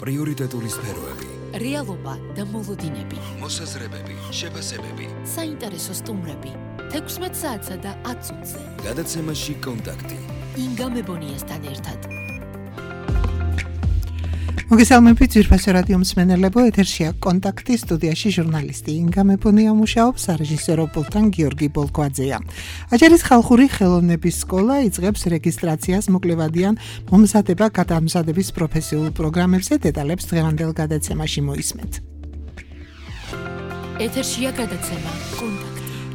პრიორიტეტული სფეროები, რეალობა და მოლოდინები, მოსაზრებები, შეფასებები, საინტერესო სტუმრები, 16 საათსა და 10 წუთზე. გადაცემაში კონტაქტი. ინგა მებონიასთან ერთად. მოგესალმებით ძვირფასო რადიო მსმენელებო, ეთერშია კონტაქტი, სტუდიაში ჟურნალისტი ინგა მებონია მუშაობს, სარეჟისორო პულტთან გიორგი ბოლკვაძეა. აჭარის ხალხური ხელოვნების სკოლა იწყებს რეგისტრაციას მოკლევადიან მომზადება-გადამზადების პროფესიულ პროგრამებზე, დეტალებს დღევანდელ გადაცემაში მოისმენთ. ეთერშია გადაცემა კონტაქტი.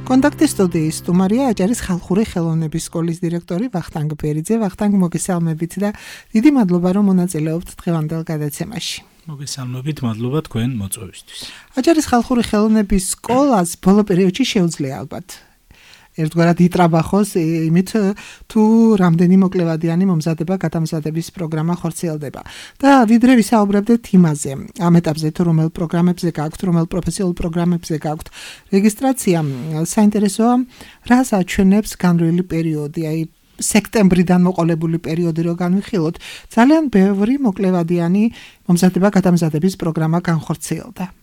კონტაქტის სტუდიის სტუმარია აჭარის ხალხური ხელოვნების სკოლის დირექტორი ვახტანგ ბერიძე. ვახტანგ, მოგესალმებით და დიდი მადლობა რომ მონაწილეობთ დღევანდელ გადაცემაში. მოგესალმებით, მადლობა თქვენ მოწვევისთვის. აჭარის ხალხური ხელოვნების სკოლას ბოლო პერიოდში შეუძლია ალბათ ერთგვარად იტრაბახოს იმით თუ რამდენი მოკლევადიანი მომზადება-გადამზადების პროგრამა ხორციელდება. და ვიდრე ვისაუბრებდეთ იმაზე, ამ ეტაპზე თუ რომელ პროგრამებზე გაქვთ, რომელ პროფესიულ პროგრამებზე გაქვთ რეგისტრაცია, საინტერესოა, რას აჩვენებს განვლილი პერიოდი, აი სექტემბრიდან მოყოლებული პერიოდი რო განვიხილოთ, ძალიან ბევრი მოკლევადიანი მომზადება-გადამზადების პროგრამა განხორციელდა.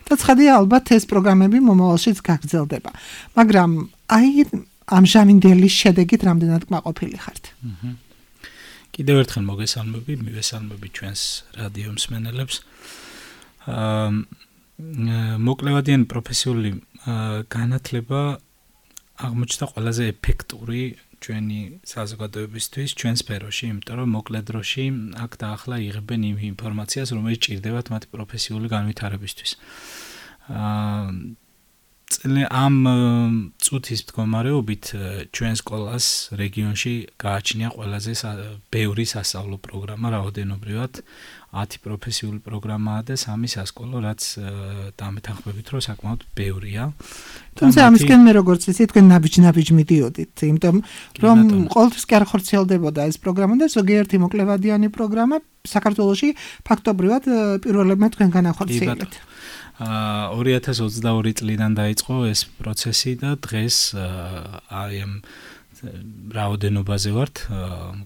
და ცხადია, ალბათ ეს პროგრამები მომავალშიც გაგრძელდება. მაგრამ აი ამჟამინდელი შედეგით რამდენად კმაყოფილი ხართ? კიდევ ერთხელ მივესალმები ჩვენს რადიო მსმენელებს. მოკლევადიანი პროფესიული განათლება აღმოჩნდა ყველაზე ეფექტური ჩვენი საზოგადოებისთვის, ჩვენ სფეროში, იმიტომ რომ მოკლე დროში აქ და ახლა იღებენ იმ ინფორმაციას, რომელიც ჭირდებათ მათი პროფესიული განვითარებისთვის. ამ წუთის მდგომარეობით ჩვენ სკოლას რეგიონში გააჩნია ყველაზე ბევრი სასწავლო პროგრამა, რაოდენობრივად 10 პროფესიული პროგრამაა და 3 სასკოლო, რაც დამეთანხმებით რომ საკმაოდ ბევრია. თუმცა ამისკენ მე როგორც იცი, თქვენ ნაბიჯ მიდიოდით, იმიტომ რომ ყოველთვის კი არ ხორციელდებოდა ეს პროგრამა და ზოგიერთი მოკლევადიანი პროგრამა საქართველოში ფაქტობრივად პირველებმა თქვენგან ახორციელებთ. 2022 წლიდან დაიწყო ეს პროცესი და დღეს აი ამ რაოდენობაზე ვართ,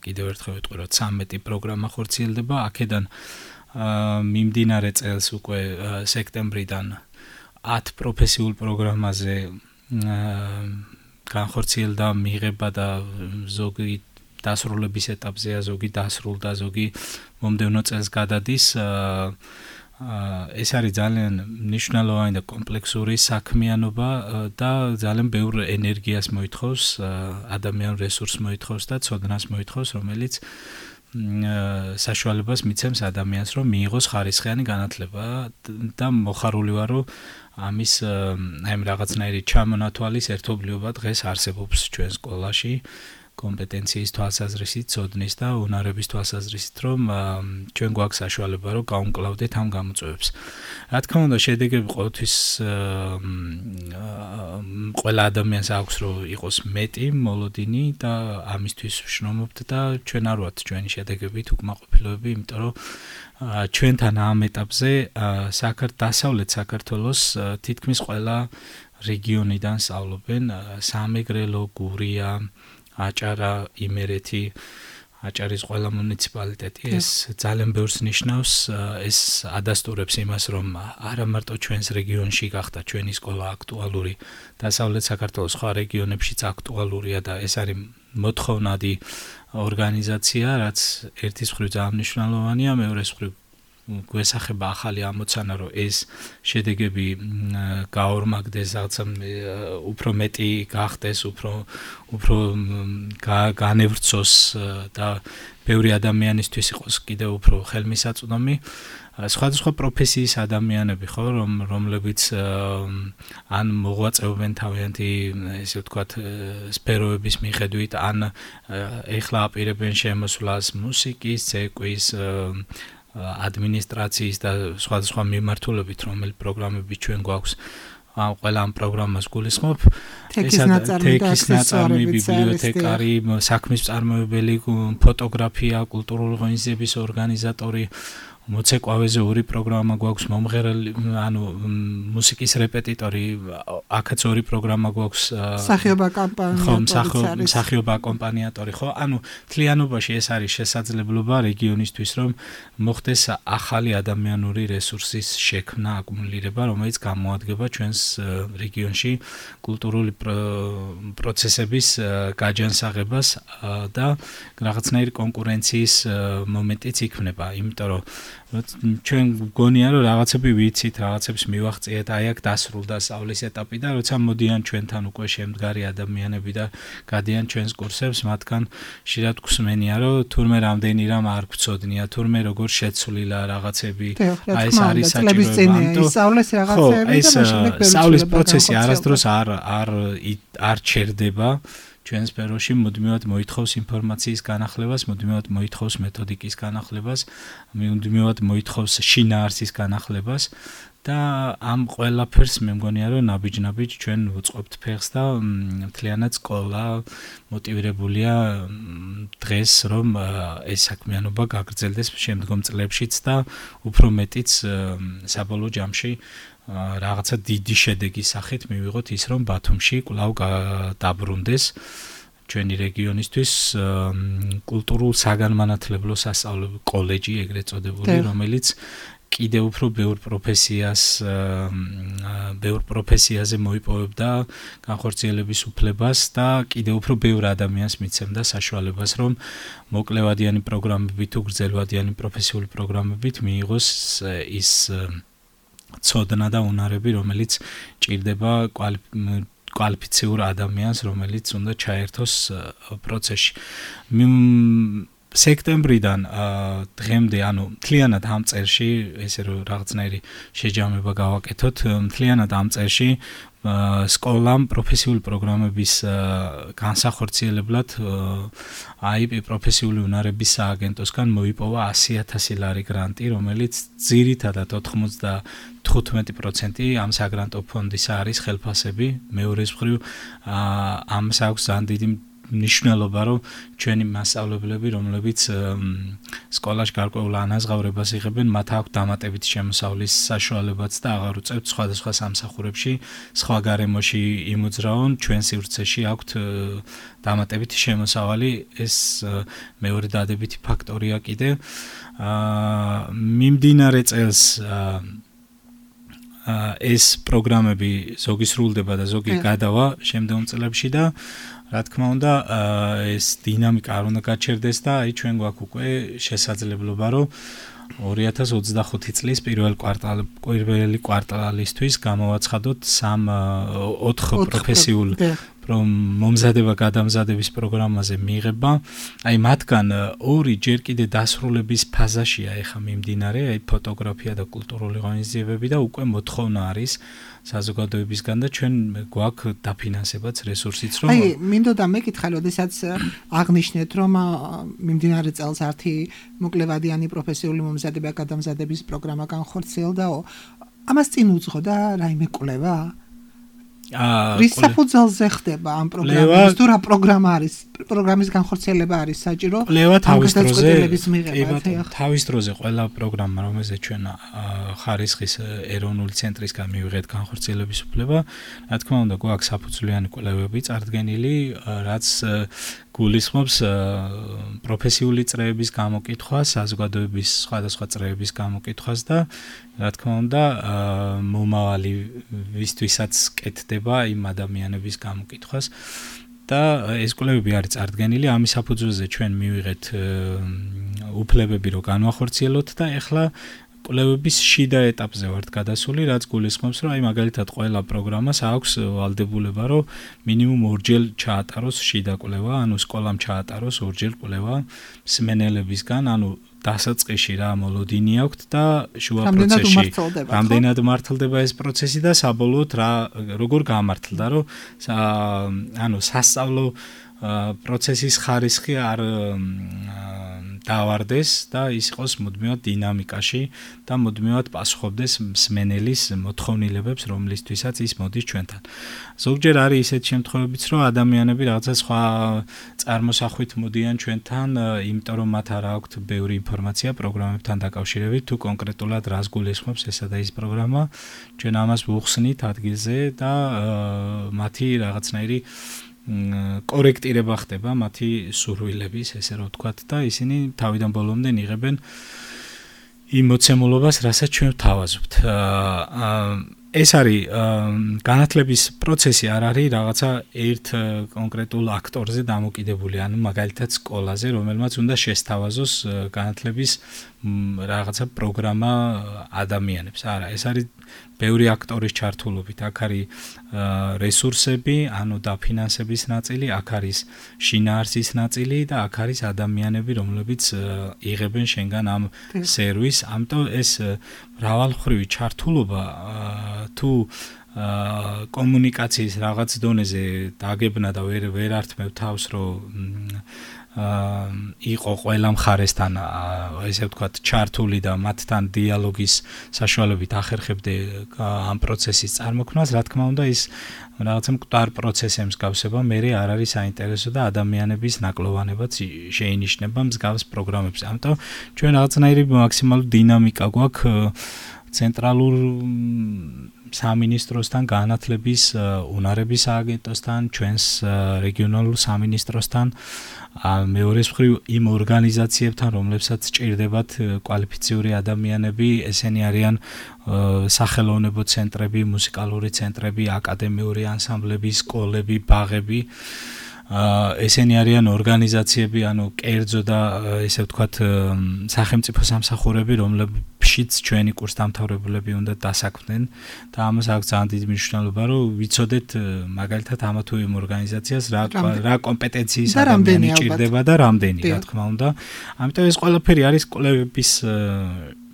კიდევ ერთხელ ვიტყვი რომ 13 პროგრამა ხორციელდება, აქედან მიმდინარე წელს უკვე სექტემბრიდან 10 პროფესიულ პროგრამაზე განხორციელდა მიღება და ზოგი დასრულების ეტაპზეა, ზოგი დასრულდა, ზოგი მომდევნო წელს გადადის. ეს არის ძალიან მნიშვნელოვანი და კომპლექსური საქმიანობა და ძალიან ბევრ ენერგიას მოითხოვს, ადამიანურ რესურსს მოითხოვს და ცოდნას მოითხოვს, რომელიც საშუალებას მიცემს ადამიანს, რომ მიიღოს ხარისხიანი განათლება და მოხარული ვარ, რომ ამის აი რაღაცნაირი ჩამონათვალის ერთობლიობა დღეს არსებობს ჩვენ სკოლაში. კომპეტენციის თვალსაზრისით, ცოდნის და უნარების თვალსაზრისით, რომ ჩვენ გვაქვს საშუალება, რომ გავუმკლავდეთ ამ გამოწვევებს. რა თქმა უნდა, შედეგები ყოველთვის ყველა ადამიანს აქვს, რომ იყოს მეტი, მოლოდინი და ამისთვის ვშრომობთ და ჩვენ არ ვართ ჩვენი შედეგებით უკმაყოფილოები, იმიტომ რომ ჩვენთან ამ ეტაპზე დასავლეთ საქართველოს თითქმის ყველა რეგიონიდან სწავლობენ, სამეგრელო, გურია, აჭარა, იმერეთი, აჭარის ყველა მუნიციპალიტეტი. ეს ძალიან ბევრს ნიშნავს, ეს ადასტურებს იმას, რომ არა მარტო ჩვენს რეგიონში გახდა ჩვენი სკოლა აქტუალური, დასავლეთ საქართველოს სხვა რეგიონებშიც აქტუალურია და ეს არის მოთხოვნადი ორგანიზაცია, რაც ერთის მხრივ ძალიან მნიშვნელოვანია, მეორეს მხრივ გვესახება ახალი ამოცანა, რომ ეს შედეგები გაორმაგდეს, რაღაცა უფრო მეტი გახდეს, უფრო განევრცოს და ბევრი ადამიანისთვის იყოს კიდევ უფრო ხელმისაწვდომი. სხვადასხვა პროფესიის ადამიანები, ხო, რომლებიც ან მოღვაწეობენ თავიანთი, ესე ვთქვათ, სფეროების მიხედვით, ან ეხლა აპირებენ შემოსვლას მუსიკის, ცეკვის, ადმინისტრაციის და სხვადასხვა მიმართულებით, რომელი პროგრამები ჩვენ გვაქვს, ყველა ამ პროგრამას გულისხმობ. ტექის ნაწარმი, ბიბლიოთეკარი, საქმის მწარმოებელი, ფოტოგრაფია, კულტურული ღონისძიების ორგანიზატორი, მოცეკვავეზე ორი პროგრამა გვაქვს, მომღერალი, ანუ მუსიკის რეპეტიტორი, აქაც ორი პროგრამა გვაქვს, სახიობა კამპანიატორი, სახიობა აკომპანიატორი, ხო? ანუ მთლიანობაში ეს არის შესაძლებლობა რეგიონისთვის, რომ მოხდეს ახალი ადამიანური რესურსის შექმნა, აკუმულირება, რომელიც გამოადგება ჩვენს რეგიონში კულტურული პროცესების გაჯანსაღებას და რაღაცნაირი კონკურენციის მომენტიც იქნება, იმიტომ რომ ჩვენ გონია რომ რაღაცები ვიცით, რაღაცებს მივახციეთ, აი აქ დასრულდა სწავლის ეტაპი და როცა მოდიან ჩვენთან უკვე შემდგარი ადამიანები და გადიან ჩვენს კურსებს, მათგან ხშირად გვსმენია რომ თურმე რამდენი რამ არ გვწოდნია, თურმე როგორ შეცვლილა რაღაცები, აი ეს არის საჭირო, ამიტომ სწავლის რაღაცები და შემდეგ სწავლის პროცესი არასდროს არ ჩერდება ჩვენს სფეროში, მუდმივად მოითხოვს ინფორმაციის განახლებას, მუდმივად მოითხოვს მეთოდიკის განახლებას, მუდმივად მოითხოვს შინაარსის განახლებას და ამ ყველაფერს მე მგონია რომ ნაბიჯ-ნაბიჯ ჩვენ ვუწყობთ ფეხს და მთლიანად სკოლა მოტივირებულია დღეს რომ ეს საქმიანობა გაგრძელდეს შემდგომ წლებშიც და უფრო მეტიც საბოლოო ჯამში რაღაცა დიდი შედეგის სახით მივიღოთ ის რომ ბათუმში კვლავ დაბრუნდეს ჩვენი რეგიონისთვის კულტურულ საგანმანათლებლო სასწავლებელი კოლეჯი ეგრეთ წოდებული რომელიც კიდევ უფრო ბევრ პროფესიაზე მოიპოვებდა განხორციელების უფლებას და კიდევ უფრო ბევრ ადამიანს მიცემდა საშუალებას რომ მოკლევადიანი პროგრამებით თუ გრძელვადიანი პროფესიული პროგრამებით მიიღოს ის ცოდნა და უნარები, რომელიც ჭირდება კვალიფიციურ ადამიანს, რომელიც უნდა ჩაერთოს პროცესში. სექტემბრიდან დღემდე, ანუ მთლიანად ამ წელში, ესე რომ რაღაცნაირი შეჯამება გავაკეთოთ, მთლიანად ამ წელში სკოლამ პროფესიული პროგრამების განსახორციელებლად IP პროფესიული უნარების სააგენტოსგან მოიპოვა 100,000 ლარი გრანტი, რომელიც ძირითადად 95% ამ საგრანტო ფონდისა არის ხელფასები, მეორე მხრივ ამას აქვს ძალიან დიდი ნიშნულობა, რომ ჩვენი მასწავლებლები, რომლებიც სკოლაში გარკვეულ ანაზღაურებას იღებენ, მათ აქვს დამატებითი შემოსავლის საშუალებაც და აღარ უწევთ სხვადასხვა სამსახურებში, სხვა გარემოში იმოძრავონ, ჩვენ სივრცეში აქვთ დამატებითი შემოსავალი, ეს მეორე დადებითი ფაქტორია კიდე. მიმდინარე წელს ეს პროგრამები ზოგი სრულდება და ზოგი გადავა შემდგომ წლებში და რა თქმა უნდა, ეს დინამიკა არ უნდა გაჩერდეს და აი ჩვენ გვაქვს უკვე შესაძლებლობა, რომ 2025 წლის პირველი კვარტალისთვის გამოვაცხადოთ 4 პროფესიულ მომზადება გადამზადების პროგრამაზე მიღება. აი მათგან 2 ჯერ კიდე დასრულების ფაზაშია ეხა მიმდინარე, აი ფოტოგრაფია და კულტურული ღონისძიებები და უკვე მოთხოვნა არის საზოგადოებისგან და ჩვენ გვაქვს დაფინანსებაც რესურსიც რომ აი მინდოდა მეკითხა როდესაც აღნიშნეთ რომ მიმდინარე წელს ართი მოკლევადიანი პროფესიული მომზადება გადამზადების პროგრამა განხორციელდაო ამას წინ უძღოდა რაიმე კვლევა რის საფუძველზე ხდება ამ პროგრამის თუ რა პროგრამა არის პროგრამის განხორციელება არის საჭირო კვლევა თავის დროზე ყველა პროგრამა რომელზეც ჩვენ ხარისხის ეროვნული ცენტრისგან მივიღეთ განხორციელების უფლება რა თქმა უნდა გვაქვს საფუძვლიანი კვლევები წარდგენილი რაც გულისხმობს პროფესიული წრეების გამოკითხვას, საზოგადოების სხვადასხვა წრეების გამოკითხვას და რა თქმა უნდა მომავალი ვისთვისაც კეთდება იმ ადამიანების გამოკითხვას და ეს კვლევები არის წარდგენილი, ამის საფუძველზე ჩვენ მივიღეთ უფლებები რომ განვახორციელოთ და ეხლა კვლევების შიდა ეტაპზე ვართ გადასული, რაც გულისხმობს, რომ აი მაგალითად ყველა პროგრამას აქვს ვალდებულება, რომ მინიმუმ 2-ჯერ ჩაატაროს შიდა კვლევა, ანუ სკოლამ ჩაატაროს 2-ჯერ კვლევა მსმენელებისგან, ანუ დასაწყისში რა მოლოდინი აქვს და შუა პროცესში რამდენად მართლდება ეს პროცესი და საბოლოოდ როგორ გამართლდა, რომ ანუ სასწავლო პროცესის ხარისხი არ დავარდეს და ის იყოს მუდმივად დინამიკაში და მუდმივად პასუხობდეს მსმენელის მოთხოვნილებებს, რომლისთვისაც ის მოდის ჩვენთან. ზოგჯერ არის ისეთი შემთხვევებიც, რომ ადამიანები რაღაცა სხვა წარმოსახვით მოდიან ჩვენთან, იმიტომ რომ მათ არ აქვთ ბევრი ინფორმაცია პროგრამებთან დაკავშირებით, თუ კონკრეტულად რას გულისხმობს ესა და ის პროგრამა, ჩვენ ამას ვუხსნით ადგილზე და მათი რაღაცნაირი კორექტირება ხდება მათი სურვილების, ესე რომ ვთქვათ და ისინი თავიდან ბოლომდე იღებენ იმ მოცემულობას, რასაც ჩვენ ვთავაზობთ. ეს არის განათლების პროცესი არ არის რაღაცა ერთ კონკრეტულ აქტორზე დამოკიდებული, ანუ მაგალითად სკოლაზე, რომელმაც უნდა შესთავაზოს განათლების რაღაცა პროგრამა ადამიანებს. არა, ეს არის ბევრი აქტორის ჩართულობით. აქ არის რესურსები, ანუ დაფინანსების ნაწილი, აქ არის შინაარსის ნაწილი და აქ არის ადამიანები, რომლებიც იღებენ შენგან ამ სერვისს. ამიტომ ეს მრავალმხრივი ჩართულობა თუ კომუნიკაციის რაღაც დონეზე დაგებნა და ვერ ართმევ თავს, რომ იყო ყველა მხარესთან ესე ვთქვათ ჩართული და მათთან დიალოგის საშუალებით ახერხებდე ამ პროცესის წარმოქმნას, რა თქმა უნდა ის რაღაცა მკვდარ პროცესზე მსგავსება მე არ არის საინტერესო და ადამიანების ნაკლოვანებაც შეინიშნება მსგავს პროგრამებზე. ამიტომ ჩვენ რაღაცნაირი მაქსიმალური დინამიკა გვაქვს ცენტრალურ სამინისტროსთან, განათლების უნარების სააგენტოსთან, ჩვენს რეგიონალურ სამინისტროსთან, მეორეს მხრივ იმ ორგანიზაციებთან, რომლებსაც სჭირდებათ კვალიფიციური ადამიანები, ესენი არიან სახელოვნებო ცენტრები, მუსიკალური ცენტრები, აკადემიური ანსამბლები, სკოლები, ბაღები. ესენი არიან ორგანიზაციები, ანუ კერძო და ესე ვთქვათ სახელმწიფო სამსახურები, რომლებშიც ჩვენი კურსდამთავრებულები უნდა დასაქმდნენ და ამას აქვს ძალიან დიდი მნიშვნელობა, რომ ვიცოდეთ მაგალითად ამა თუ იმ ორგანიზაციას რა კომპეტენციის ადამიანი ჭირდება და რამდენი, რა თქმა უნდა. ამიტომ ეს ყველაფერი არის კვლევების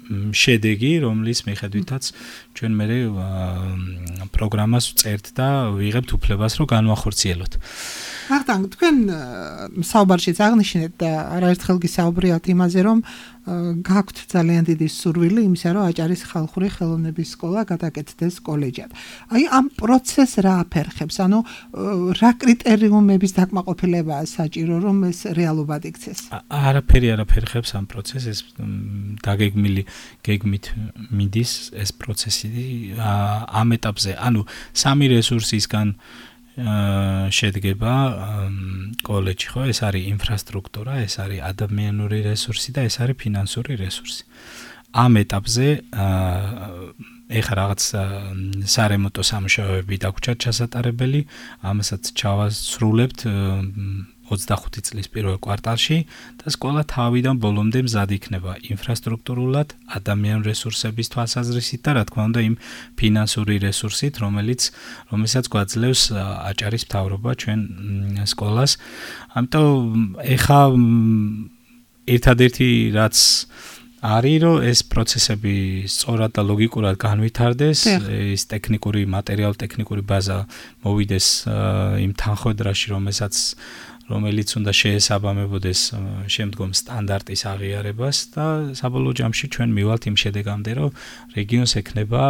შედეგი, რომლის მიხედვითაც ჩვენ მე პროგრამას ვწერთ და ვიღებთ უფლებას, რომ განვახორციელოთ. ახლა თქვენ საუბარშიც აღნიშნეთ და არაერთხელ გისაუბრიათ იმაზე, რომ გაქვთ ძალიან დიდი სურვილი იმისა, რომ აჭარის ხალხური ხელოვნების სკოლა გადაკეთდეს კოლეჯად. აი ამ პროცესს რა აფერხებს? ანუ რა კრიტერიუმების დაკმაყოფილებაა საჭირო, რომ ეს რეალობად იქცეს? არაფერი არ აფერხებს ამ პროცესს, ეს გეგმით მიდის ეს პროცესი ამ ეტაპზე. ანუ სამი რესურსისგან შედგება კოლეჯი, ხო? ეს არის ინფრასტრუქტურა, ეს არის ადამიანური რესურსი და ეს არის ფინანსური რესურსი. ამ ეტაპზე ეხლა რაღაც სარემონტო სამუშაოები დაგვჭირთ ჩასატარებელი, ამასაც ჩავასრულებთ 25 წლის პირველ კვარტალში და სკოლა თავიდან ბოლომდე მზად იქნება ინფრასტრუქტურულად, ადამიანური რესურსების თვალსაზრისით და რა თქმა უნდა იმ ფინანსური რესურსით, რომელსაც გვაძლევს აჭარის მთავრობა ჩვენ სკოლას. ამიტომ ეხა ერთადერთი რაც არის, რომ ეს პროცესები სწორად და ლოგიკურად განვითარდეს, ეს ტექნიკური მატერიალურ-ტექნიკური ბაზა მოვიდეს იმ თანხმედრაში, რომელიც უნდა შეესაბამებოდეს შემდგომ სტანდარტის აღიარებას და საბოლოო ჯამში ჩვენ მივალთ იმ შედეგამდე, რომ რეგიონს ექნება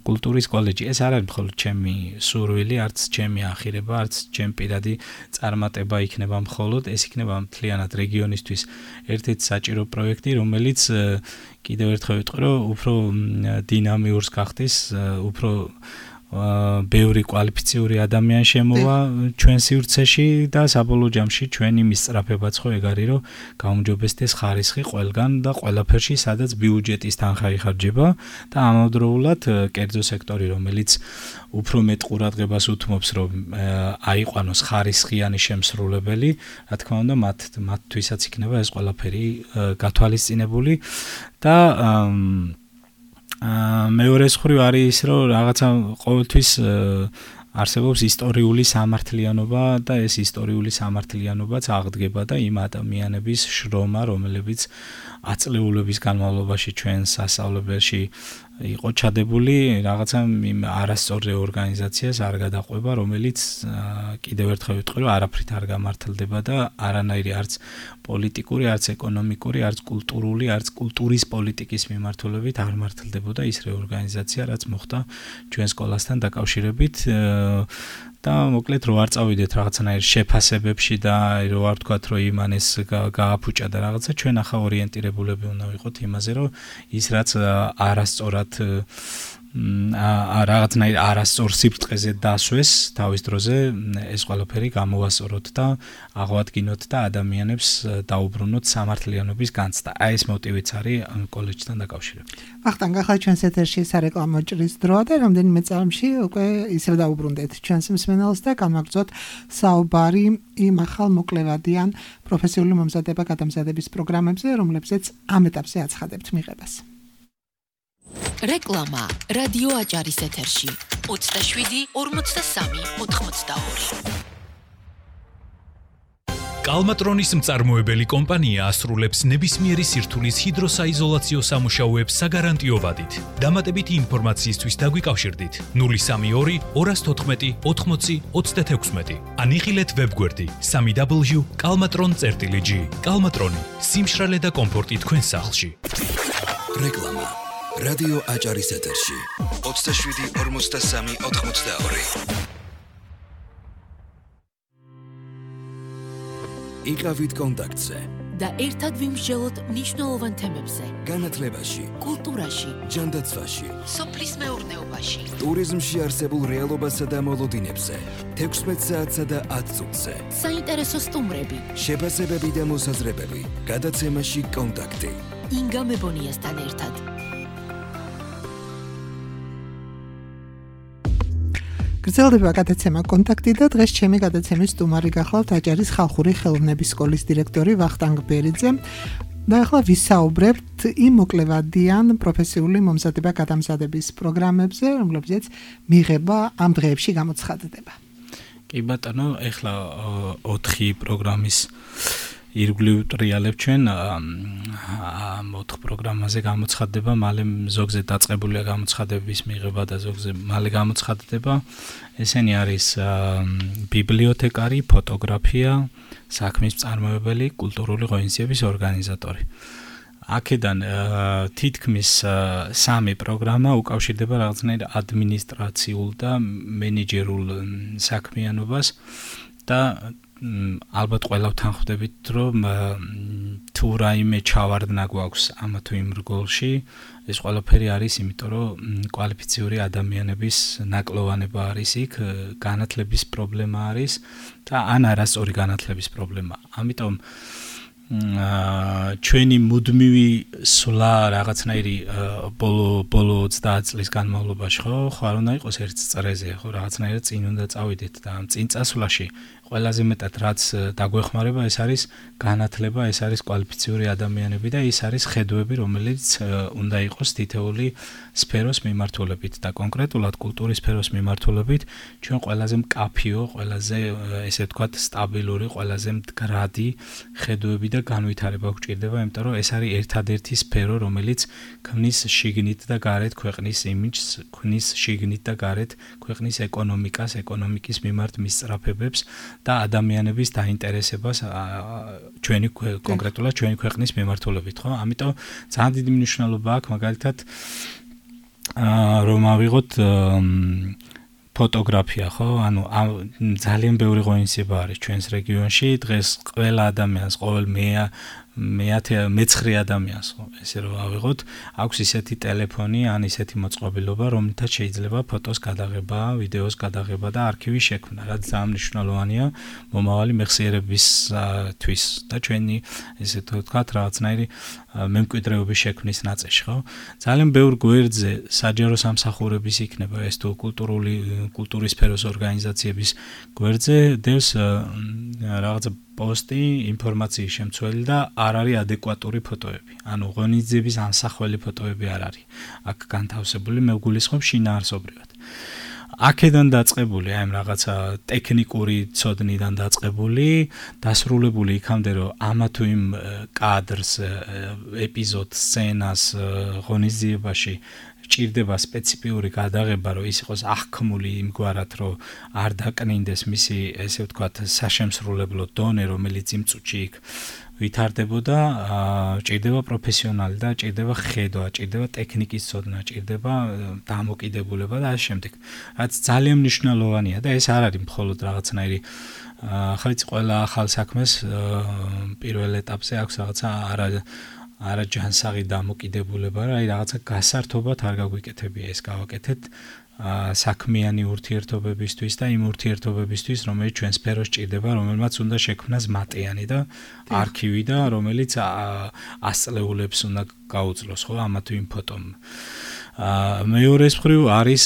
კულტურის კოლეჯი. ეს არ არის მხოლოდ ჩემი სურვილი, არც ჩემი ახირება, არც ჩემი პირადი წარმატება იქნება მხოლოდ, ეს იქნება მთლიანად რეგიონისთვის ერთ-ერთი საჭირო პროექტი, რომელიც კიდევ ერთხელ ვიტყვი, რომ უფრო დინამიურს გახდის, უფრო ბევრი კვალიფიციური ადამიანი შემოვა ჩვენ სივრცეში და საბოლოო ჯამში ჩვენი მისწრაფებაც ხო ეგ არის, რომ გაუმჯობესდეს ხარისხი ყველგან და ყველაფერში, სადაც ბიუჯეტის თანხა იხარჯება და ამავდროულად კერძო სექტორი, რომელიც უფრო მეტ ყურადღებას უთმობს, რომ აიყვანოს ხარისხიანი შემსრულებელი, რა თქმა უნდა, მათთვისაც იქნება ეს ყველაფერი გათვალისწინებული და მეორე მხრივ არის ის, რომ რაღაცა ყოველთვის არსებობს ისტორიული სამართლიანობა და ეს ისტორიული სამართლიანობაც აღდგება და იმ ადამიანების შრომა, რომლებიც აწლეულების განმავლობაში ჩვენ სასწავლებელში იყო ჩადებული რაღაცა არასწორი ორგანიზაციას არ გადაყვება, რომელიც კიდევ ერთხელ ვიტყვი, რომ არაფრით არ გამართლდება და არანაირი არც პოლიტიკური, არც ეკონომიკური, არც კულტურული, არც კულტურის პოლიტიკის მიმართულებით არ მართლდებოდა ის რეორგანიზაცია, რაც მოხდა ჩვენ სკოლასთან დაკავშირებით და მოკლედ რო არ წავიდეთ რაღაცნაირ შეფასებებში და რო არ თქვათ რომ იმანეს გააფუჭა და რაღაცა ჩვენ ახლა ორიენტირებულები უნდა ვიყოთ იმაზე რომ ის რაც არასწორად რაღაცნაირ არასწორ სიბრტყეზე დასვეს თავის დროზე ეს ყველაფერი გამოვასწოროთ და აღვადგინოთ და ადამიანებს დაუბრუნოთ სამართლიანობის განცდა. აი ეს მოტივიც არის კოლეჯთან დაკავშირებით. ვახტანგ, ახლა ჩვენს ეთერში სარეკლამო ჭრის დროა და რამდენიმე წამში უკვე ისევ დაუბრუნდეთ ჩვენს მსმენელს და განვაგრძოთ საუბარი იმ ახალ მოკლევადიან პროფესიული მომზადება-გადამზადების პროგრამებზე, რომლებზეც ამ ეტაპზე აცხადებთ მიღებას. რეკლამა რადიო აჭარის ეთერში 27 43 82. კალმატრონის მწარმოებელი კომპანია ასრულებს ნებისმიერი სირთულის ჰიდროსაიზოლაციო სამუშაოებს საგარანტიო ვადით. დამატებითი ინფორმაციისთვის დაგვიკავშირდით 032 214 80 36 ან იხილეთ ვებგვერდი www.kalmatron.gr. კალმატრონი, სიმშრალე და კომფორტი თქვენს სახლში. რეკლამა რადიო აჭარის ეთერში 27 43 82. იყავით კონტაქტზე და ერთად ვიმსჯელოთ მნიშვნელოვან თემებზე. განათლებაში, კულტურაში, ჯანდაცვაში, სოფლის მეურნეობაში, ტურიზმში არსებულ რეალობასა და მოლოდინებზე, 16 საათსა და 10 წუთზე. საინტერესო სტუმრები, შეფასებები და მოსაზრებები, გადაცემაში კონტაქტი. ინგა მებონიასთან ერთად. გრძელდება გადაცემა კონტაქტი და დღეს ჩემი გადაცემის სტუმარი გახლავთ აჭარის ხალხური ხელოვნების სკოლის დირექტორი ვახტანგ ბერიძე. და ახლა ვისაუბრებთ იმ მოკლევადიან პროფესიული მომზადება-გადამზადების პროგრამებზე, რომლებზეც მიღება ამ დღეებში გამოცხადდება. კი ბატონო, ახლა 4 პროგრამის ირგვლივ ტრიალებ ჩვენ 4 პროგრამაზე გამოცხადდება, მალე ზოგზე დაწყებულია გამოცხადების მიღება და ზოგზე მალე გამოცხადდება. ესენი არის ბიბლიოთეკარი, ფოტოგრაფია, საქმის მწარმოებელი, კულტურული ღონისძიების ორგანიზატორი. აქედან თითქმის 3 პროგრამა უკავშირდება რაღაცნაირ ადმინისტრაციულ და მენეჯერულ საქმიანობას და ალბათ ყველა ვთანხმდებით, რომ თუ რაიმე ჩავარდნა გვაქვს ამ თუ იმ რგოლში, ეს ყველაფერი არის, იმიტომ რომ კვალიფიციური ადამიანების ნაკლოვანება არის იქ, განათლების პრობლემა არის და ან არასწორი განათლების პრობლემა. ამიტომ ჩვენი მუდმივი სვლა რაღაცნაირი ბოლო 30 წლის განმავლობაში ხო არ უნდა იყოს ერთ წრეზე, ხო რაღაცნაირად წინ უნდა წავიდეთ და ამ წინ წასვლაში ყველაზე მეტად რაც დაგვეხმარება ეს არის განათლება, ეს არის კვალიფიციური ადამიანები და ის არის ხედვები, რომელიც უნდა იყოს თითეული სფეროს მიმართულებით და კონკრეტულად კულტურის სფეროს მიმართულებით ჩვენ ყველაზე მკაფიო, ყველაზე ესე ვთქვათ სტაბილური, ყველაზე მდგრადი ხედვები და განვითარება გვჭირდება, იმიტომ რომ ეს არის ერთადერთი სფერო, რომელიც ქმნის შიგნით და გარეთ ქვეყნის იმიჯს, ქმნის შიგნით და გარეთ ქვეყნის ეკონომიკას, ეკონომიკის მიმართ მისწრაფებებს და ადამიანების დაინტერესებას ჩვენი კონკრეტულად ჩვენი ქვეყნის მიმართულებით, ხო? ამიტომ ძალიან დიდი მნიშვნელობა აქვს მაგალითად რომ ავიღოთ ფოტოგრაფია, ხო? ანუ ძალიან ბევრი ღონისძიება არის ჩვენს რეგიონში. დღეს ყველა ადამიანს, ყოველ მეცხრე ადამიანს, ხო, ესე რომ ავიღოთ, აქვს ისეთი ტელეფონი, ან ისეთი მოწყობილობა, რომლითაც შეიძლება ფოტოს გადაღება, ვიდეოს გადაღება და არქივის შექმნა, რაც ძალიან მნიშვნელოვანია მომავალი მეხსიერებისთვის და ჩვენი, ესე ვთქვათ, რაღაცნაირი მემკვიდრეობის შექმნის ნაწილში, ხო? ძალიან ბევრ გვერდზე საჯარო სამსახურების იქნება ეს თუ კულტურის სფეროს ორგანიზაციების გვერდზე დევს რაღაცა პოსტი, ინფორმაციის შემცველი და არ არის ადეკვატური ფოტოები. ანუ ღონისძიების ამსახველი ფოტოები არ არის. აქ განთავსებული მე ვგულისხმობ შინაარსობრივად. აქედან დაწყებული, აი ამ რაღაცა ტექნიკური ცოდნიდან დაწყებული, დასრულებული იქამდე რომ ამა თუ იმ კადრს, ეპიზოდს, სცენას ღონისძიებაში ჭირდება სპეციფიური გადაღება, რომ ის იყოს აღქმული იმგვარად, რომ არ დაკნინდეს მისი, ესე ვთქვათ, საშემსრულებლო დონე, რომელიც იმ წუთში იქ ვითარდებოდა, ჭირდება პროფესიონალი და ჭირდება ხედვა, ჭირდება ტექნიკის ცოდნა, ჭირდება დამოკიდებულება და ასე შემდეგ. რაც ძალიან მნიშვნელოვანია და ეს არ არის მხოლოდ რაღაცნაირი ახლა იცი ყველა ახალ საქმეს პირველ ეტაპზე აქვს რაღაცა არაჯანსაღი დამოკიდებულება, აი რაღაცა გასართობად არ გაგვიკეთებია ეს გავაკეთეთ საქმიანი ურთიერთობებისთვის და იმ ურთიერთობებისთვის, რომელიც ჩვენ სფეროს ჭირდება, რომელმაც უნდა შექმნას მატიანი და არქივი და რომელიც ასწლეულებს უნდა გაუძლოს, ხო, ამა თუ იმ ფოტომ. მეორე მხრივ არის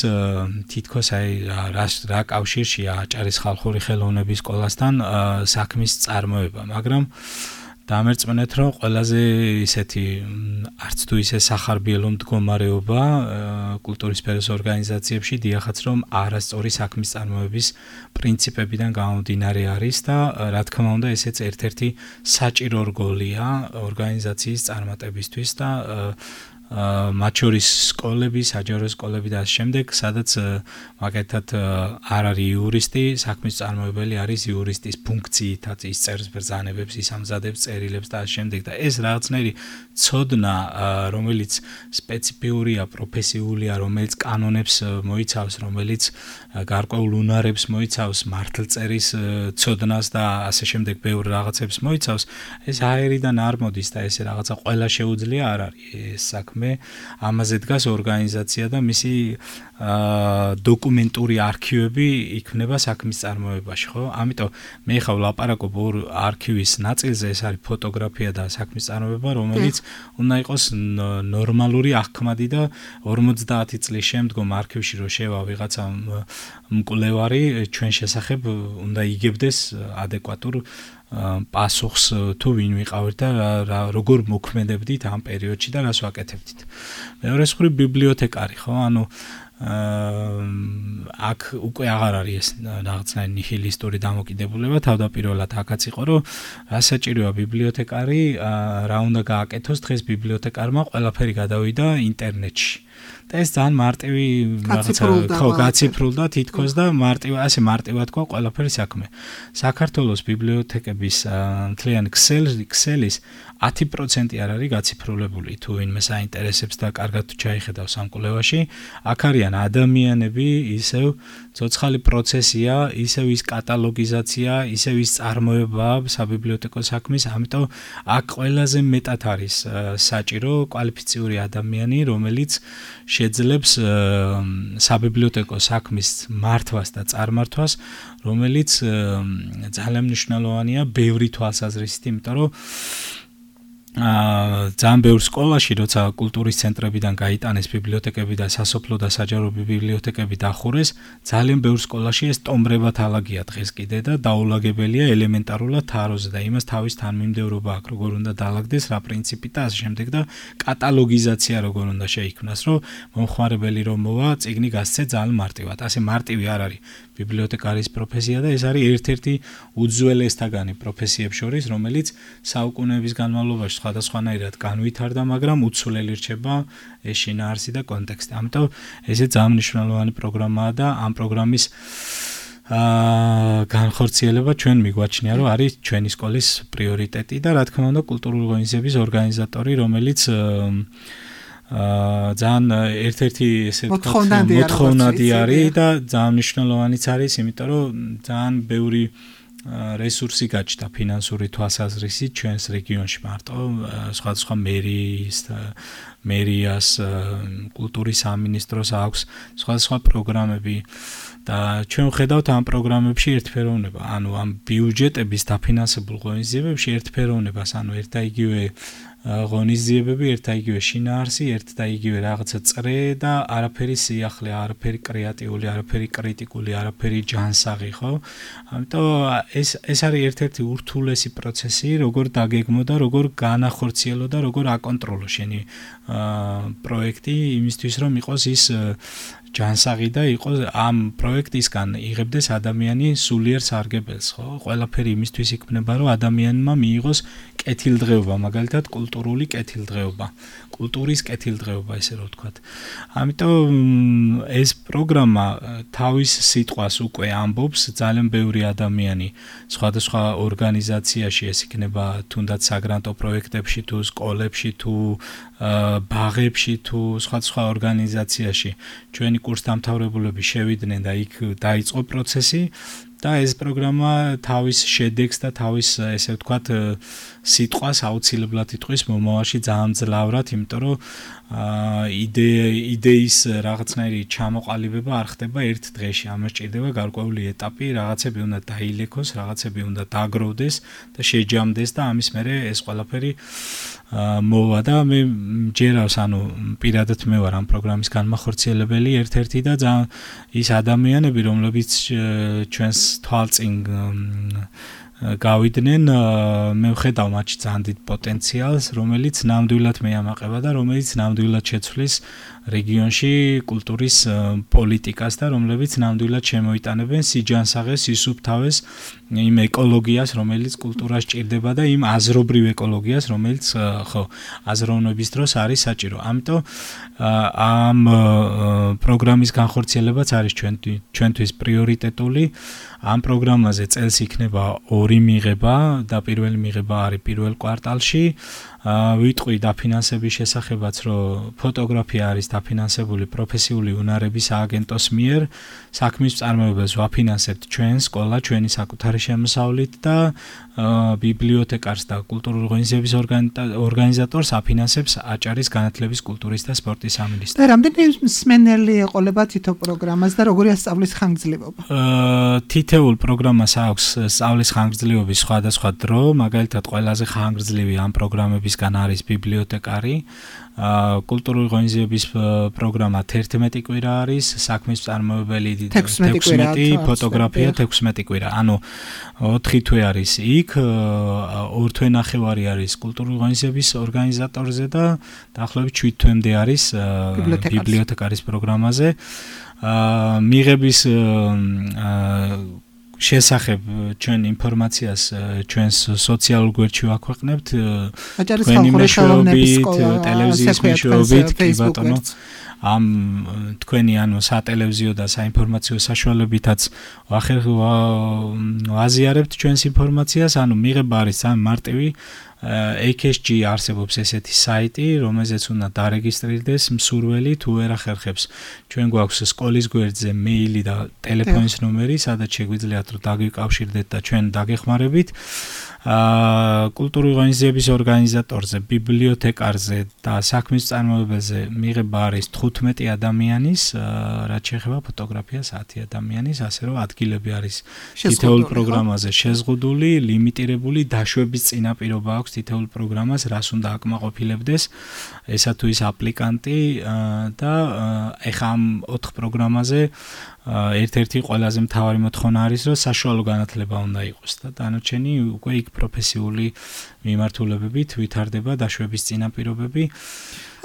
თითქოს აი რა კავშირშია აჭარის ხალხური ხელოვნების სკოლასთან საქმის წარმოება, მაგრამ დამერწმუნეთ, რომ ყველაზე ისეთი არც თუ ისე სახარბიელო მდგომარეობა კულტურის სფეროს ორგანიზაციებში დიახაც რომ არასწორი საქმის წარმოების პრინციპებიდან გამომდინარე არის და რა თქმა უნდა ესეც ერთ-ერთი საჭირო რგოლია ორგანიზაციის წარმატებისთვის და მათ შორის სკოლები, საჯარო სკოლები და ამ შემდეგ, სადაც მაგათად არ არის იურისტი, საქმის წარმოებელი არის იურისტის ფუნქციითაც ის წერს ბრძანებებს, ის ამზადებს წერილებს და ამ შემდეგ და ეს რაღაცნაირი ცოდნა, რომელიც სპეციფიურია, პროფესიულია, რომელიც კანონებს მოიცავს, რომელიც გარკვეულ უნარებს მოიცავს, მართლწერის ცოდნას და ასე შემდეგ ბევრ რაღაცებს მოიცავს, ეს აერიდან არ მოდის და ესე რაღაცა ყველა შეუძლია არ არის ეს საქმე. ამაზე დგას ორგანიზაცია და მისი დოკუმენტური არქივები იქმნება საქმის წარმოებაში, ხო? ამიტომ მე ხავ ლაპარაკობ ორ არქივის ნაწილზე, ეს არის ფოტოგრაფია და საქმის წარმოება, რომელიც უნდა იყოს ნორმალური აღქმადი და 50 წლის შემდგომ არქივში რო შევა ვიღაცა მკვლევარი ჩვენ შესახებ უნდა იგებდეს ადეკვატურ პასუხს თუ ვინ ვიყავით და როგორ მოქმედებდით ამ პერიოდში და რას ვაკეთებდით. მეორე მხრივ ბიბლიოთეკარი, ხო? ანუ აქ უკვე აღარ არის ეს რაღაცნაირი ნიჰილისტური დამოკიდებულება, თავდაპირველად აქაც იყო, რომ რა საჭიროა ბიბლიოთეკარი, რა უნდა გააკეთოს, დღეს ბიბლიოთეკარმა ყველაფერი გადავიდა ინტერნეტში. და ეს ძალიან მარტივი რაღაცა გაციფრულდა თითქოს და ასე მარტივად ყო ყველაფერი საქმე. საქართველოს ბიბლიოთეკების მთლიანი ქსელის 10% არ არის გაციფრულებული, თუ ვინმე საინტერესებს და კარგად ჩაიხედავს ამ კვლევაში, აქ არიან ადამიანები, ისევ ცოცხალი პროცესია, ისევ ის კატალოგიზაცია, ისევ ის წარმოება საბიბლიოთეკო საქმის, ამიტომ აქ ყველაზე მეტად არის საჭირო კვალიფიციური ადამიანი, რომელიც შეძლებს საბიბლიოთეკო საქმის მართვას და წარმართვას, რომელიც ძალიან მნიშვნელოვანია ბევრი თვალსაზრისით, იმიტომ რომ ძალიან ბევრ სკოლაში, როცა კულტურის ცენტრებიდან გაიტანეს ბიბლიოთეკები და სასოფლო და საჯარო ბიბლიოთეკები დახურეს, ძალიან ბევრ სკოლაში ეს ტომბრებად ალაგია დღეს კიდე და დაულაგებელია ელემენტარულად თაროზე და იმას თავის თანმიმდევრობა აქვს, როგორ უნდა დაალაგდეს, რა პრინციპით და ასე შემდეგ და კატალოგიზაცია როგორ უნდა შეიქმნას, რომ მომხმარებელი რომ მოვა, წიგნი გასცე ძალიან მარტივად. ასე მარტივი არ არის ბიბლიოთეკარის პროფესია და ეს არის ერთ-ერთი უძველესთაგანი პროფესიებს შორის, რომელიც საუკუნეების განმავლობაში სხვადასხვანაირად განვითარდა, მაგრამ უცვლელი რჩება ეს შინაარსი და კონტექსტი. ამიტომ ესე ძალიან მნიშვნელოვანი პროგრამაა და ამ პროგრამის განხორციელება ჩვენ მიგვაჩნია, რომ არის ჩვენი სკოლის პრიორიტეტი და რა თქმა უნდა კულტურული ღონისძიების ორგანიზატორი, რომელიც ძალიან ერთ-ერთი ესე ვთქვათ მოთხოვნადი არის და ძალიან მნიშვნელოვანიც არის, იმიტომ რომ ძალიან ბევრი რესურსი გაჩნდა ფინანსური თვალსაზრისით ჩვენს რეგიონში მარტო სხვადასხვა მერიას კულტურის სამინისტროს აქვს სხვადასხვა პროგრამები და ჩვენ ვხედავთ ამ პროგრამებში ერთფეროვნება, ანუ ამ ბიუჯეტების დაფინანსებულ ღონისძიებებში ერთფეროვნებას, ანუ ერთ და იგივე ღონისძიებები, ერთ და იგივე შინაარსი, ერთ და იგივე რაღაცა წრე და არაფერი სიახლე, არაფერი კრეატიული, არაფერი კრიტიკული, არაფერი ჯანსაღი, ხო? ამიტომ ეს არის ერთ-ერთი ურთულესი პროცესი, როგორ დაგეგმო და როგორ განახორციელო და როგორ აკონტროლო შენი პროექტი იმისთვის, რომ იყოს ის ჯანსაღი და იყოს ამ პროექტისგან იღებდეს ადამიანი სულიერ სარგებელს, ხო? ყველაფერი იმისთვის იქმნება, რომ ადამიანმა მიიღოს კეთილდღეობა, მაგალითად კულტურული კეთილდღეობა, კულტურის კეთილდღეობა, ესე რომ ვთქვათ. ამიტომ ეს პროგრამა თავის სიტყვას უკვე ამბობს ძალიან ბევრი ადამიანი სხვადასხვა ორგანიზაციაში, ეს იქნება თუნდაც საგრანტო პროექტებში თუ სკოლებში თუ ბაღებში თუ სხვადასხვა ორგანიზაციაში ჩვენი კურსდამთავრებულები შევიდნენ და იქ დაიწყო პროცესი და ეს პროგრამა თავის შედეგს და თავის ესე ვთქვათ სიტყვას აუცილებლად იტყვის მომავალში ძალიან ძლავრად, იმიტომ რომ იდეის რაღაცნაირი ჩამოყალიბება არ ხდება ერთ დღეში, ამას ჭირდება გარკვეული ეტაპი, რაღაცები უნდა დაილექოს, რაღაცები უნდა დაგროვდეს და შეჯამდეს და ამის მერე ეს ყველაფერი მოვა და მე მჯერავს, ანუ პირადად მე ვარ ამ პროგრამის განმახორციელებელი ერთ-ერთი და ძალიან ის ადამიანები, რომლებიც ჩვენს თვალწინ გავიდნენ, მე ვხედავ მათში ძალიან დიდ პოტენციალს, რომელიც ნამდვილად მეამაყება და რომელიც ნამდვილად შეცვლის რეგიონში კულტურის პოლიტიკას და რომლებიც ნამდვილად შემოიტანებენ სიჯანსაღეს, სისუფთავეს იმ ეკოლოგიას, რომელიც კულტურას ჭირდება და იმ აზრობრივ ეკოლოგიას, რომელიც ხო, აზროვნების დროს არის საჭირო. ამიტომ ამ პროგრამის განხორციელებაც არის ჩვენთვის პრიორიტეტული. ამ პროგრამაზე წელს იქნება 2 მიღება და პირველი მიღება არის პირველ კვარტალში. ვიტყვი დაფინანსების შესახებაც, რომ ფოტოგრაფია არის დაფინანსებული პროფესიული უნარების ააგენტოს მიერ. საქმის წარმოებელს ვაფინანსებთ ჩვენ სკოლა, ჩვენი საკუთარი შემოსავლით და ბიბლიოთეკარს და კულტურული ღონისძიების ორგანიზატორს აფინანსებს აჭარის განათლების, კულტურის და სპორტის სამინისტრო. და რამდენი მსმენელი ეყოლება თითო პროგრამას და როგორია სწავლის ხანგრძლივობა? თითოეულ პროგრამას აქვს სწავლის ხანგრძლივობის სხვადასხვა დრო, მაგალითად ყველაზე ხანგრძლივი ამ პროგრამებისგან არის ბიბლიოთეკარი. კულტურული ღონისძიების პროგრამა 11 კვირა არის, საქმის წარმოებელი 16, ფოტოგრაფია 16 კვირა. ანუ 4 თვე არის იქ, 2 თვე ნახევარი არის კულტურული ღონისძიების ორგანიზატორზე და დაახლოებით 7 თვემდე არის ბიბლიოთეკარის პროგრამაზე. მიღების შესახებ ჩვენ ინფორმაციას ჩვენს სოციალურ გვერდში ვაქვეყნებთ, თქვენი მეშვეობით, ტელევიზიის მეშვეობით, კი ბატონო, ამ თქვენი ანუ სატელევიზიო და საინფორმაციო საშუალებითაც ვაზიარებთ ჩვენს ინფორმაციას, ანუ მიღება არის ძალიან მარტივი. AKSG არსებობს ესეთი საიტი, რომელზეც უნდა დარეგისტრირდეს მსურველი, თუ ვერ ახერხებს. ჩვენ გვაქვს სკოლის გვერდზე მეილი და ტელეფონის ნომერი, სადაც შეგვიძლიათ რომ დაგვიკავშირდეთ და ჩვენ დაგეხმარებით. კულტურული ღონისძიების ორგანიზატორზე, ბიბლიოთეკარზე და საქმის წარმოებელზე მიღება არის 15 ადამიანის, რაც შეეხება ფოტოგრაფიას 10 ადამიანის, ასე რომ ადგილები არის თითოეულ პროგრამაზე შეზღუდული, ლიმიტირებული, დაშვების წინაპირობა აქვს თითოეულ პროგრამას, რას უნდა აკმაყოფილებდეს ესა თუ ის აპლიკანტი და ეხა ამ 4 პროგრამაზე ერთ-ერთი ყველაზე მთავარი მოთხოვნა არის, რომ საშუალო განათლება უნდა იყოს და დანარჩენი უკვე იქ პროფესიული მიმართულებებით ვითარდება დაშვების წინაპირობები.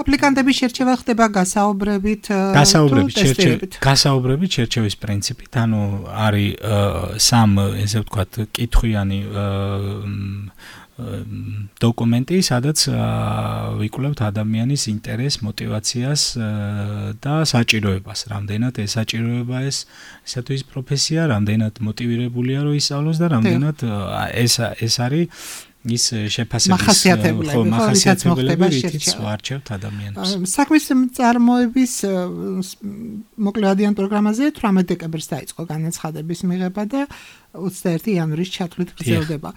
აპლიკანტების შერჩევა ხდება გასაუბრებით, გასაუბრებით შერჩევის პრინციპით, ანუ არის 3 ესე ვთქვათ კითხვიანი დოკუმენტი, სადაც ვიკვლევთ ადამიანის ინტერესს, мотивაციას და საჭიროებას. რამდენად ეს საჭიროება ესა თუ ის პროფესია, რამდენად мотивირებულია რომ ისწავლოს და რამდენად ეს არის ის შეფასების მახასიათებლები, რითიც ვარჩევთ ადამიანებს. საქმის წარმოების მოკლევადიან პროგრამაზე 18 დეკემბერს დაიწყო განაცხადების მიღება და 21 იანვრის ჩათვლით გრძელდება.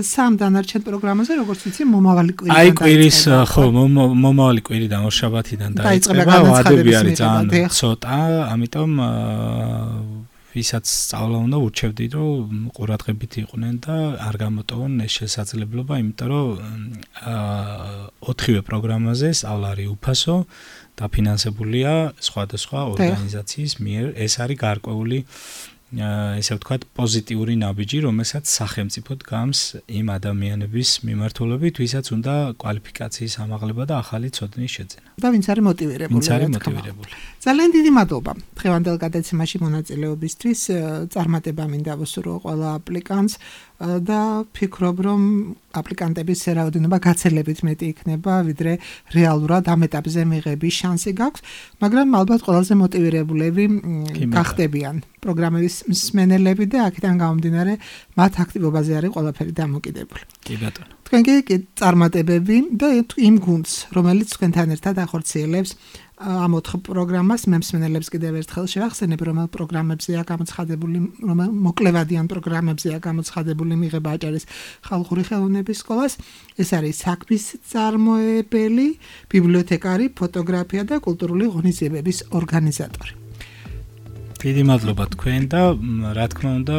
სამ დანარჩენ პროგრამაზე, როგორც ვიცი, მომავალი კვირიდან დაიწყება. აი კვირის, ხო, მომავალი კვირიდან ორშაბათიდან დაიწყება. ვადები არის ძალიან ცოტა, ამიტომ ვისაც სწავლა უნდა ურჩევდით, რომ ყურადღებით იყვნენ და არ გამოტოვონ ეს შესაძლებლობა, იმიტომ რომ 4-ვე პროგრამაზე სწავლა არის უფასო, დაფინანსებულია სხვადასხვა ორგანიზაციის მიერ. ეს არის გარკვეული ესე ვთქვათ, პოზიტიური ნაბიჯი, რომელსაც სახელმწიფო დგამს იმ ადამიანების მიმართულებით, ვისაც უნდა კვალიფიკაციის ამაღლება და ახალი ცოდნის შეძენა. და ვინც არის მოტივირებული. ძალიან დიდი მადლობა დღევანდელ გადაცემაში მონაწილეობისთვის. წარმატება მინდა ვუსურვო ყველა აპლიკანტს და ფიქრობ, რომ აპლიკანტების რაოდენობა გაცილებით მეტი იქნება, ვიდრე რეალურად ამ ეტაპზე მიღების შანსი გაქვს, მაგრამ ალბათ ყველაზე მოტივირებულები გახდებიან პროგრამების მსმენელები და აქედან გამომდინარე მათ აქტივობაზე არის ყველაფერი დამოკიდებული. კი ბატონო. თქვენ კი წარმატებები და იმ გუნდს, რომელიც თქვენთან ერთად ახორციელებს ამ 4 პროგრამას, მე მსმენელებს კიდევ ერთხელ შევახსენებ, რომელ პროგრამებზეა გამოცხადებული, რომელ მოკლევადიან პროგრამებზეა გამოცხადებული მიღება აჭარის ხალხური ხელოვნების სკოლას. ეს არის საქმის წარმოებელი, ბიბლიოთეკარი, ფოტოგრაფია და კულტურული ღონისძიებების ორგანიზატორი. დიდი მადლობა თქვენ და რა თქმა უნდა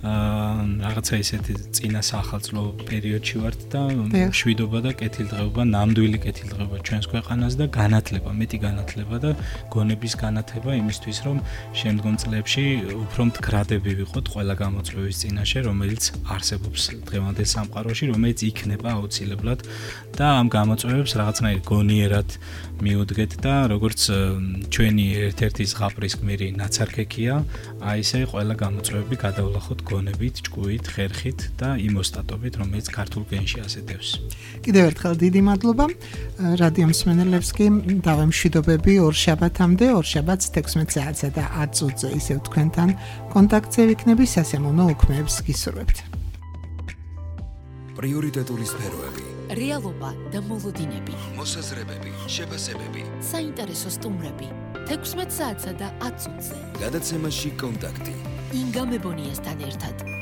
რაღაცა ისეთი წინა სახალწლო პერიოდში ვართ და მშვიდობა და კეთილდღეობა, ნამდვილი კეთილდღეობა ჩვენს ქვეყანას და განათლება, მეტი განათლება და გონების განათება იმისთვის, რომ შემდგომ წლებში უფრო მდგრადები ვიყოთ ყველა გამოწვევის წინაშე, რომელიც არსებობს დღევანდელ სამყაროში, რომელიც იქნება აუცილებლად და ამ გამოწვევებს რაღაცნაირად გონიერად მიუდგეთ და როგორც ჩვენი ერთ-ერთი ზღაპრის გმირი ნაცარქექია, აი ესე ყველა გამოწვევები გადავლახოთ გონებით, ჭკუით, ხერხით და იმ ოსტატობით, რომელიც ქართულ გენში ასეთებს. კიდევ ერთხელ დიდი მადლობა. რადიო მსმენელებს კი დავემშვიდობები ორშაბათამდე, ორშაბათს 16 საათსა და 10 წუთზე ისევ თქვენთან კონტაქტზე ვიქნები, სასიამოვნო უქმეებს გისურვებთ. პრიორიტეტული სფეროები, რეალობა და მოლოდინები, მოსაზრებები, შეფასებები, საინტერესო სტუმრები, 16 საათსა და 10 წუთზე. გადაცემაში კონტაქტი. ინგა მებონიასთან ერთად.